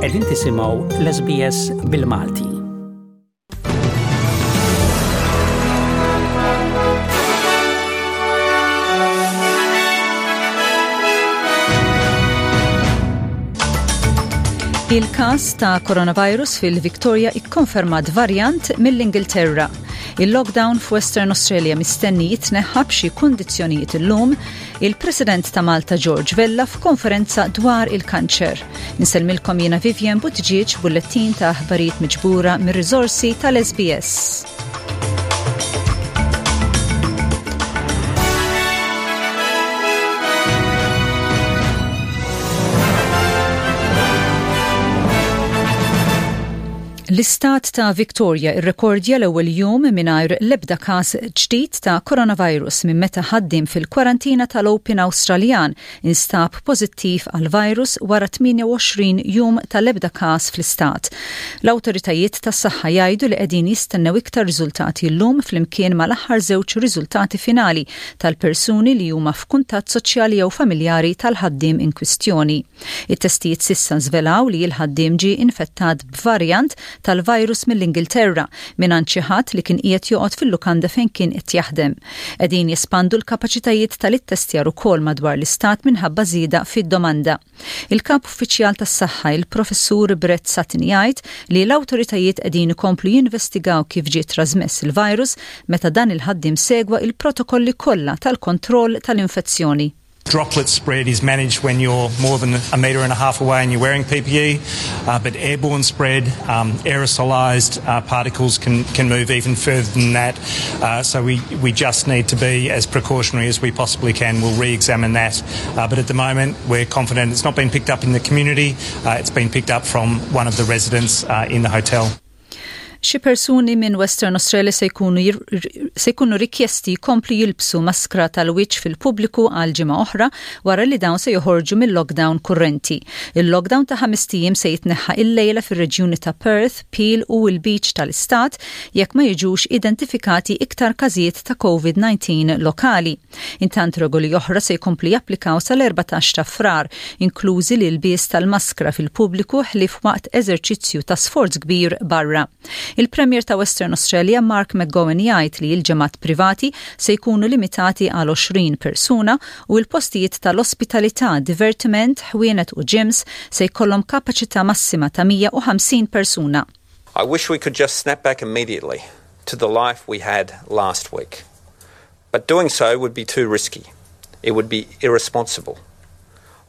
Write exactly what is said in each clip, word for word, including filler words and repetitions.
Qegħdin tisimgħu l-S B S bil-Malti. Il-kas ta' coronavirus fil-Victoria ikkonfermat varjant mill-Ingilterra. Il-lockdown f'Western Australia mistenni jitneħħa b'xi kundizzjonijiet illum. Il-President ta' Malta George Vella f'konferenza dwar il-kanċer. Insellmilkom jiena Vivian Buttigieg, bullettin ta' aħbarijiet miġbura mir-riżorsi tal-S B S. L-istat ta' Victoria irrekordja l-ewwel jum mingħajr l-ebda każ ġdid ta' coronavirus minn meta ħaddim fil-kwarantina tal-Open Awstraljan instab pożittiv għal virus wara tmienja u għoxrin jum tal-ebda każ fl-istat. L-awtoritajiet tas-saħħa jgħidu li qegħdin jistennew iktar riżultati llum flimkien mal-aħħar żewġ riżultati finali tal-persuni li huma f'kuntatt soċjali jew familjari tal-ħaddiem in kwistjoni. It-testijiet s'issa żvelaw li l-ħaddiem ġie infettat b'varjant tal-virus mill-Ingilterra mingħand xi ħadd li kien qiegħed joqgħod fil-lukanda fejn kien qed jaħdem. Qegħdin jespandu l-kapaċitajiet tal-ittestjar ukoll madwar l-istat minħabba żieda fid-domanda. Il-kap uffiċjal tas-saħħa, il-Professur Brett Sutton, jgħid li l-awtoritajiet qegħdin ikomplu jinvestigaw kif ġie trasmess il-virus meta dan il-ħaddiem segwa il-protokolli kollha tal-kontroll tal-infezzjoni. Droplet spread is managed when you're more than a metre and a half away and you're wearing P P E, uh, but airborne spread, um, aerosolized uh, particles can, can move even further than that. Uh, so we, we just need to be as precautionary as we possibly can. We'll re-examine that. Uh, but at the moment, we're confident it's not been picked up in the community. Uh, it's been picked up from one of the residents uh, in the hotel. Xi persuni minn Western Australia se jkunu se jkunu rikjesti jkomplu jilbsu maskra tal-wiċċ fil-pubbliku għal ġimgħa oħra wara li dawn se joħorġu mill-lockdown kurrenti. Il-lockdown ta' ħamest ijiem se jitneħħa illejla fir-reġjuni ta' Perth, Peel u l-Beach tal-Istat jekk ma jiġux identifikati iktar każijiet ta' COVID nineteen lokali. Intant, regoli oħra se jkomplu japplikaw sal-erbatax ta' Frar, inklużi l-ilbies tal-maskra fil-pubbliku ħlief waqt eżerċizzju ta' sforz kbir barra. Il-Premier ta' Western Australia Mark McGowan jgħid li l-ġemgħat privati se jkunu limitati għal għoxrin persuna u l-postijiet tal-ospitalità, divertiment, ħwienet u gyms se jkollhom kapaċità massima ta' mija u ħamsin persuna. I wish we could just snap back immediately to the life we had last week. But doing so would be too risky. It would be irresponsible.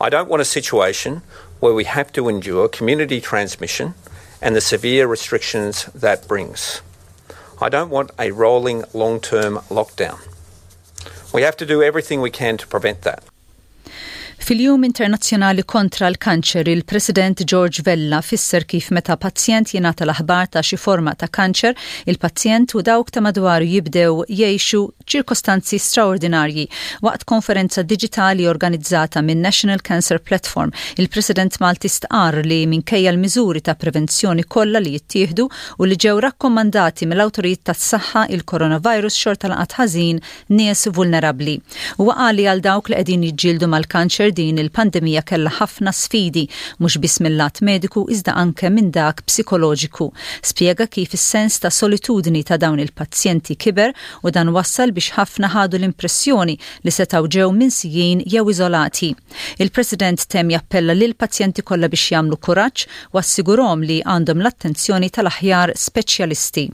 I don't want a situation where we have to endure community transmission and the severe restrictions that brings. I don't want a rolling long term lockdown. We have to do everything we can to prevent that. Fil-Jum Internazzjonali kontra l-Kanċer, il-President George Vella fisser kif meta pazjent jingħata l-aħbar ta' xi forma ta' kanċer, il-pazjent u dawk ta' madwaru jibdew jgħixu ċirkostanzi straordinarji. Waqt konferenza digitali organizzata minn National Cancer Platform, il-President Malti stqar li minkejja l-miżuri ta' prevenzjoni kollha li jittieħdu u li ġew rakkomandati mill-awtoritajiet tas-saħħa, il-coronavirus xorta laqat ħażin nies vulnerabbli. U qal li għal dawk li qegħdin jiġġieldu mal-kanċer, din il-pandemija kellha ħafna sfidi, mhux biss mill-lat mediku iżda anke minn dak psikoloġiku. Spjega kif is-sens ta' solitudni ta' dawn il-pazjenti kiber u dan wassal biex ħafna ħadu l-impressjoni li setgħu ġew minsijin jew iżolati. Il-President temm jappella lil pazjenti kollha biex jagħmlu kuraġġ u assigurhom li għandhom l-attenzjoni tal-aħjar speċjalisti.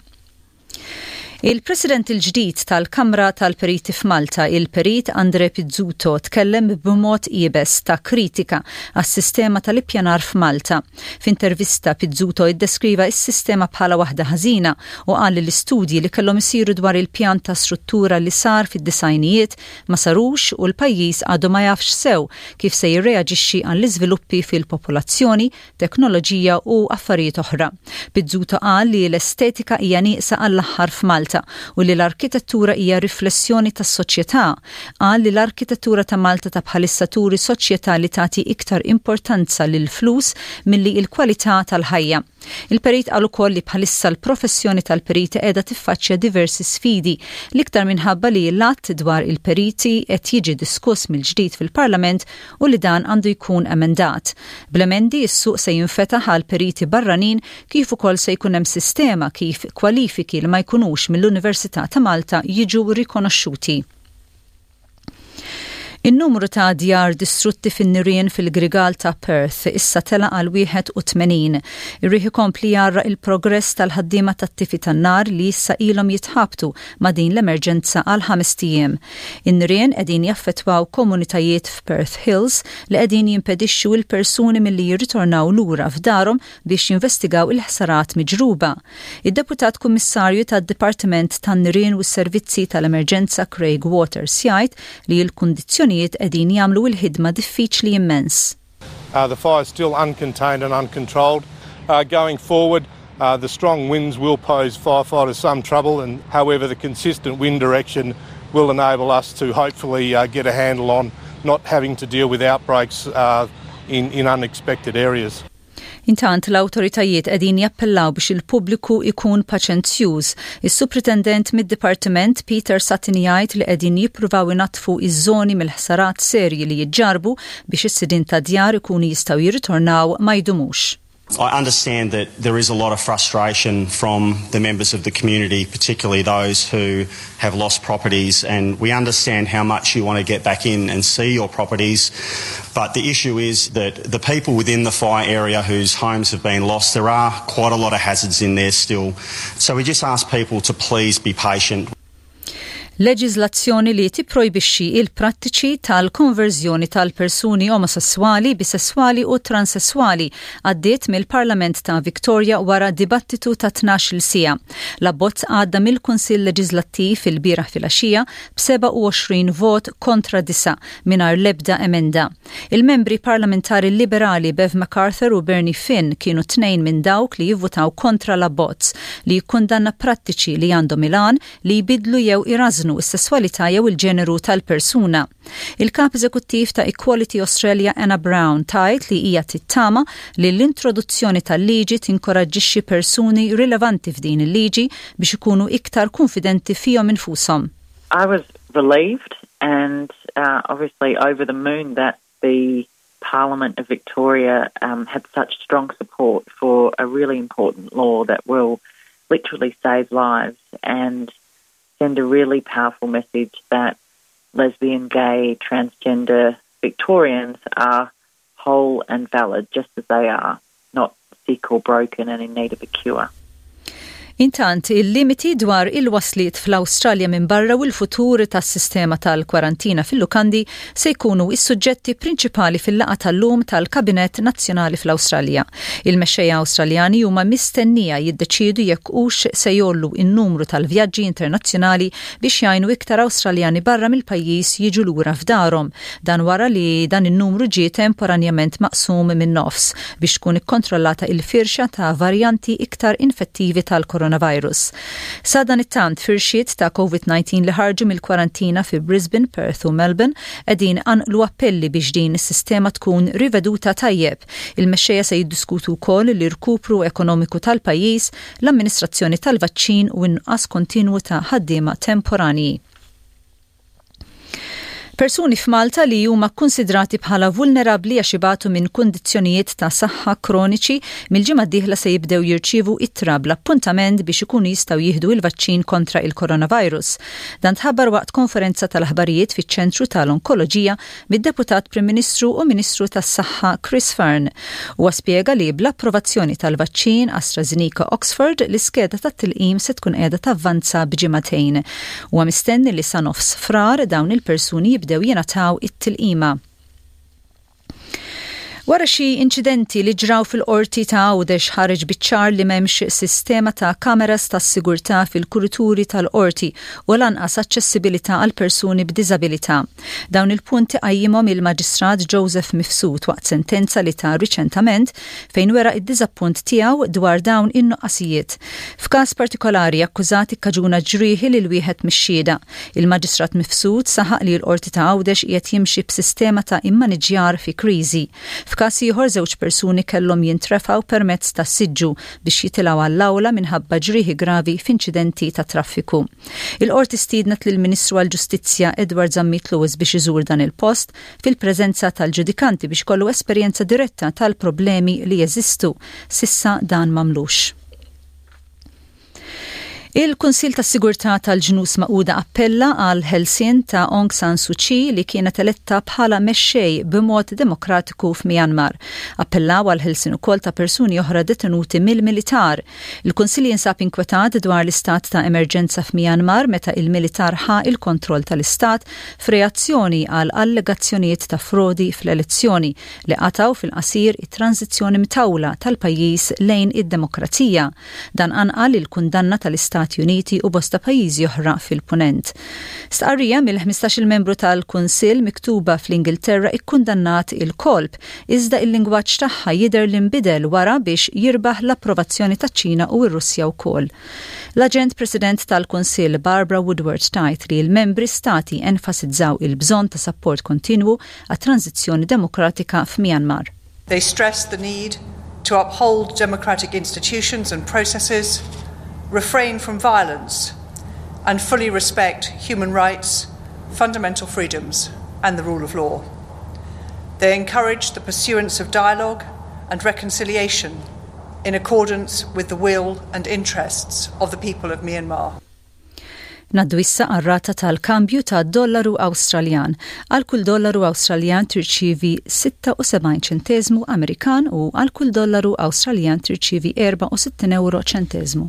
Il-President il-ġdid tal-Kamra tal-Periti f'Malta, il-Perit Andre Pizzuto, tkellem b'mod iebes ta' kritika għas-sistema tal-ippjanar f'Malta. F'intervista, Pizzuto iddeskriva s-sistema bħala waħda ħażina u qal li l-istudji li kellhom isiru dwar il-pjan ta' struttura li sar fid-disgħinijiet ma sarux u l-pajjiż għadu ma jafx sew kif se jirreaġixxi għall-iżviluppi fil-popolazzjoni, teknoloġija u affarijiet oħra. Pizzuto qal li l-estetika hija nieqsa għall-aħħar f'Malta Malta u li l-arkitettura hija riflessjoni tas-soċjetà. Qal li l-arkitettura ta' Malta ta' bħalissa turi soċjetà li tagħti iktar importanza lil flus milli il-kwalità tal-ħajja. Il-perit qal ukoll li bħalissa l-professjoni tal-periti qiegħda tiffaċċja diversi sfidi, l-iktar minħabba li l-att dwar il-periti qed jiġi diskuss mill-ġdid fil-Parlament u li dan għandu jkun emendat. Bl-emendi, is-suq se jinfetaħ għal periti barranin, kif ukoll se jkun hemm sistema kif kwalifiki li ma jkunux mill-Università ta' Malta jiġu rikonoxxuti. In-numru ta' djar distrutti fin-nirien fil-grigal ta' Perth issa tela għal wieħed u tmenin. Ir-riħ ikompli jgħarraq il-progress tal-ħaddiema tat-tifi tan-nar li issa ilhom jitħabtu ma' din l-emerġenza għal ħamest ijiem. In-nirien qegħdin jaffettwaw komunitajiet f'Perth Hills, li qegħdin jimpedixxu l-persuni milli jirritornaw lura f'darhom biex jinvestigaw il-ħsarat miġruba. Id-Deputat Kummissarju tad-Dipartiment tan-Nirien u s-Servizzi tal-Emerġenza Craig Waters jgħid li l-kundizzjoni kundizzjonijiet qegħdin jagħmlu l-ħidma diffiċli immens. Uh, the fire is still uncontained and uncontrolled. Uh, going forward, uh, the strong winds will pose firefighters some trouble, and however, the consistent wind direction will enable us to hopefully uh, get a handle on not having to deal with outbreaks uh, in, in unexpected areas. Intant, l-awtoritajiet qegħdin jappellaw biex il-pubbliku ikun paċenzjuż. Is-Supritendent mid-Dipartiment Peter Sutton jgħid li qegħdin jippruvaw inaddfu iż-żoni mill-ħsarat serji li jiġġarbu biex is-sidin ta' djar ikunu jistgħu jirritornaw ma jdumux. I understand that there is a lot of frustration from the members of the community, particularly those who have lost properties, and we understand how much you want to get back in and see your properties. But the issue is that the people within the fire area whose homes have been lost, there are quite a lot of hazards in there still. So we just ask people to please be patient. Leġiżlazzjoni li tipprojbixxi il-prattiċi tal-konverżjoni tal-persuni omosessuali, bisessuali u transessuali għaddiet mill-Parlament ta' Victoria wara dibattitu ta' tnax-il siegħa. L-abbozz għadda mill-Kunsill Leġislattiv il-bieraħ filgħaxija b'sebgħa u għoxrin vot kontra disgħa, mingħajr lebda emenda. Il-membri parlamentari liberali Bev MacArthur u Bernie Finn kienu tnejn minn dawk li jivvutaw kontra l-abbozz li jikkundanna prattiċi li għandhom il-għan li jbidlu jew irażnu is-sesswalità jew il-ġeneru tal-persuna. Il-kap eżekuttiv ta' Equality Australia Anna Brown tgħid li hija tittama li l-introduzzjoni tal-liġi tinkoraġġixxi persuni rilevanti f'din il-liġi biex ikunu iktar konfidenti fihom infushom. I was relieved and uh, obviously over the moon that the Parliament of Victoria um, had such strong support for a really important law that will literally save lives and send a really powerful message that lesbian, gay, transgender Victorians are whole and valid just as they are, not sick or broken and in need of a cure. Intant, il-limiti dwar il-wasliet fl-Awstralja minn barra u l-futur tas-sistema tal-kwarantina fil-lukandi se jkunu is-suġġetti prinċipali fil-laqgħa tal-lum tal-Kabinett Nazzjonali fl-Awstralja. Il-mexxejja Awstraljani huma mistennija jiddeċidu jekk hux se jgħollu in-numru tal-vjaġġi internazzjonali biex jgħinu iktar Awstraljani barra mill-pajjiż jiġu lura f'darhom. Dan wara li dan in-numru ġie temporanjament maqsum minn nofs biex tkun ikkontrollata il-firxa ta' varjanti iktar infettivi tal-coronavirus. Sadanittant, firxiet ta' COVID disa li ħarġu mill-kwarantina fi Brisbane, Perth u Melbourne qegħdin iqanqlu appelli biex din is-sistema tkun riveduta tajjeb. Il-mexxejja se jiddiskutu wkoll l-irkupru ekonomiku tal-pajjiż, l-amministrazzjoni tal-vaċċin u n-nuqqas kontinwu ta' ħaddiema temporani. Persuni f'Malta li huma konsidrati bħala vulnerabli għax ibatu minn kundizzjonijiet ta' saħħa kroniċi mill-ġimgħa d-dieħla se jibdew jirċievu ittra bl-appuntament biex ikunu jistgħu jieħdu il-vaċċin kontra il-coronavirus. Dan tħabbar waqt konferenza tal-aħbarijiet fiċ-ċentru tal-Onkoloġija mid-Deputat Prim Ministru u Ministru tas-Saħħa Chris Fearne. Huwa spjega li bl-approvazzjoni tal-vaċċin AstraZeneca Oxford, l-iskeda tat-tilqim se tkun qiegħda tavvanza b'ġimagħtejn. Huwa mistenni li sa nofs Frar dawn il-persuni jibdew jingħataw it-tilqima. Wara xi inċidenti li ġraw fil-qorti ta' Għawdex, ħareġ biċ-ċar li m'hemmx sistema ta' kameras ta' sigurtà fil-kurituri tal-qorti u lanqas aċċessibilità għal persuni b'diżabilità. Dawn il-punti qajjimhom il-Maġistrat Joseph Mifsud waqt sentenza li ta riċentament, fejn wera id-diżappunt tiegħu dwar dawn in-nuqqasijiet. F'każ partikolari, akkużat ikkaġuna ġrieħi lil wieħed mix-xhieda. Il-Maġistrat Mifsud saħaq li l-qorti ta' Għawdex qiegħed jimxi b'sistema ta' immaniġjar fi kriżi. F'każ ieħor, żewġ persuni kellhom jintrefgħu permezz ta' siġġu biex jitilgħu għall-awla minħabba ġrieħi gravi f'inċidenti ta' traffiku. Il-qorti stiednet lill-Ministru għall-Ġustizzja Edward Zammit Lewis biex iżur dan il-post fil-preżenza tal-ġudikanti biex ikollu esperjenza diretta tal-problemi li jeżistu. S'issa dan m'għamlux. Il-Kunsil tas Sigurtà tal-Ġnus Magħquda appella għal ħelsien ta' Aung San Suu Kyi, li kienet eletta bħala mexxej b'mod demokratiku f'Myanmar. Appellaw għal ħelsien ukoll ta' persuni oħra detenuti mill-militar. Il-Kunsil jinsab inkwetat dwar l-istat ta' emerġenza f'Myanmar meta il-militar ħa il-kontroll tal-istat f'reazzjoni għal allegazzjonijiet ta' frodi fl-elezzjoni li qataw fil-qasir it-tranzizzjoni mtawla tal-pajjiż lejn id-demokrazija. Dan anqal il-kundanna tal-Istat Stati Uniti u bosta pajjiżi oħra fil-punent. Stqarrija mill-ħmistax-il membru tal-Kunsill miktuba fl-Ingilterra ikkundannat il-kolp, iżda il-lingwaġġ tagħha jidher li nbidel wara biex jirbaħ l-approvazzjoni taċ-Ċina u r-Russja wkoll. L-Aġent President tal-Kunsill Barbara Woodward tgħid li l-membri stati enfasizzaw il-bżonn ta' support kontinwu għat-tranzizzjoni demokratika f'Myanmar. They stressed the need to uphold democratic institutions and processes, refrain from violence, and fully respect human rights, fundamental freedoms, and the rule of law. They encouraged the pursuance of dialogue and reconciliation in accordance with the will and interests of the people of Myanmar. Ngħaddu issa għar-rata tal-kambju ta' dollaru Awstraljan. Għal kull dollaru Awstraljan tirċivi sitta u sebgħin ċentesmu Amerikan u għal kull dollaru Awstraljan tirċivi erbgħa u sittin euro ċentesmu.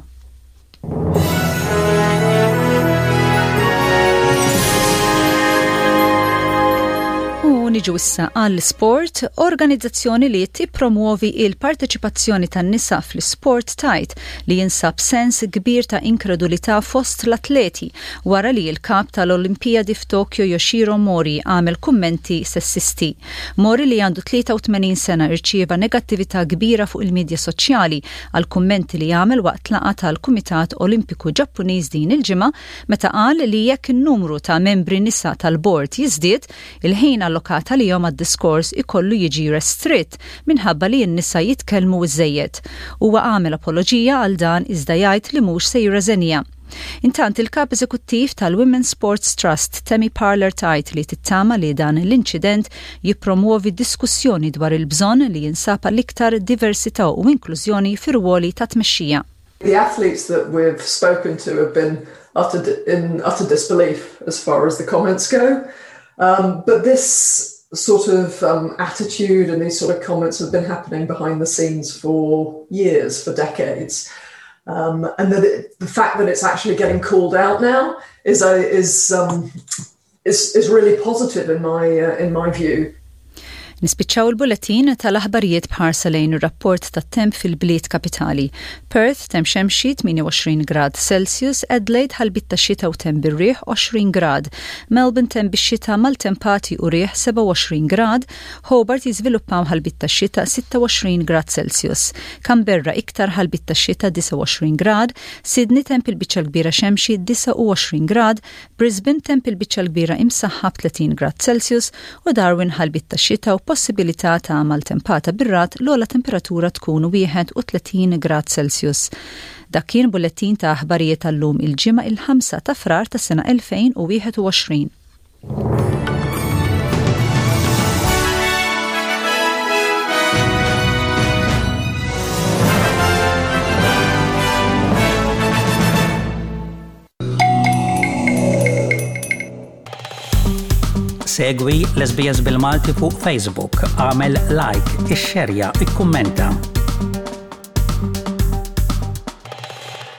U niġu issa għall-sport. Organizzazzjoni li tippromuovi il-parteċipazzjoni tan-nisa fl-sport tgħid li jinsab sens kbir ta' inkredulità fost l-atleti wara li l-kap tal-Olimpijadi f'Tokyo Yoshiro Mori għamel kummenti sessisti. Mori, li għandu tlieta u tmenin sena, irċieva negattività kbira fuq il-medja soċjali għal kummenti li għamel waqt laqgħa tal-Kumitat Olimpiku Ġappuniż din il-ġimgħa, meta qal li jekk in-numru ta' membri nisa tal-bord jiżdied, il-ħin allokat għalihom għad-diskors ikollu jiġi restritt minħabba li n-nisa jitkellmu iżejjed. Huwa għamel apoloġija għal dan, iżda jgħid li mhux se jirreżenja. Intant, il-kap eżekuttiv tal-Women's Sports Trust Tammy Parler tgħid li tittama li dan l-inċident jippromuovi diskussjoni dwar il-bżonn li jinsab l-iktar diversità u inklużjoni fir-ruoli ta' tmexxija. The athletes that we've spoken to have been utter, in utter disbelief as far as the comments go. Um, but this sort of um, attitude and these sort of comments have been happening behind the scenes for years, for decades. Um, and that it, the fact that it's actually getting called out now is a, is, um, is, is really positive in my, uh, in my view. Nispiċċaw il-bulletin tal-aħbarijiet b'ħarsa lejn ir-rapport tat-temp fil-bliet kapitali. Perth, temp xemxi, tmienja u għoxrin grad Celsius, Adelaide, ħalbiet ta' xita u temp bir-riħ, għoxrin grad, Melbourne, temp bix-xita, maltempati u riħ, sebgħa u għoxrin grad, Hobart, jiżviluppaw ħalbiet ta' xita, sitta u għoxrin grad Celsius, Canberra, iktar ħalbiet ta' xita, disgħa u għoxrin grad, Sydney, temp il-biċċa kbira xemxi, disgħa u għoxrin grad, Brisbane, temp il-biċċa kbira imsaħħab, tletin grad Celsius u Darwin, ħalbiet ta' xita u possibilità ta' maltempata bir-ragħad, l-ogħla temperatura tkun wieħed u tletin grad Celsius. Dak kien bullettin ta' aħbarijiet tal-lum, il-Ġimgħa, il-ħamsa ta' Frar ta' sena elfejn u wieħed u għoxrin. Segwi l-S B S bil-Malti fuq Facebook, għamel like, ixxerja, ikkummenta.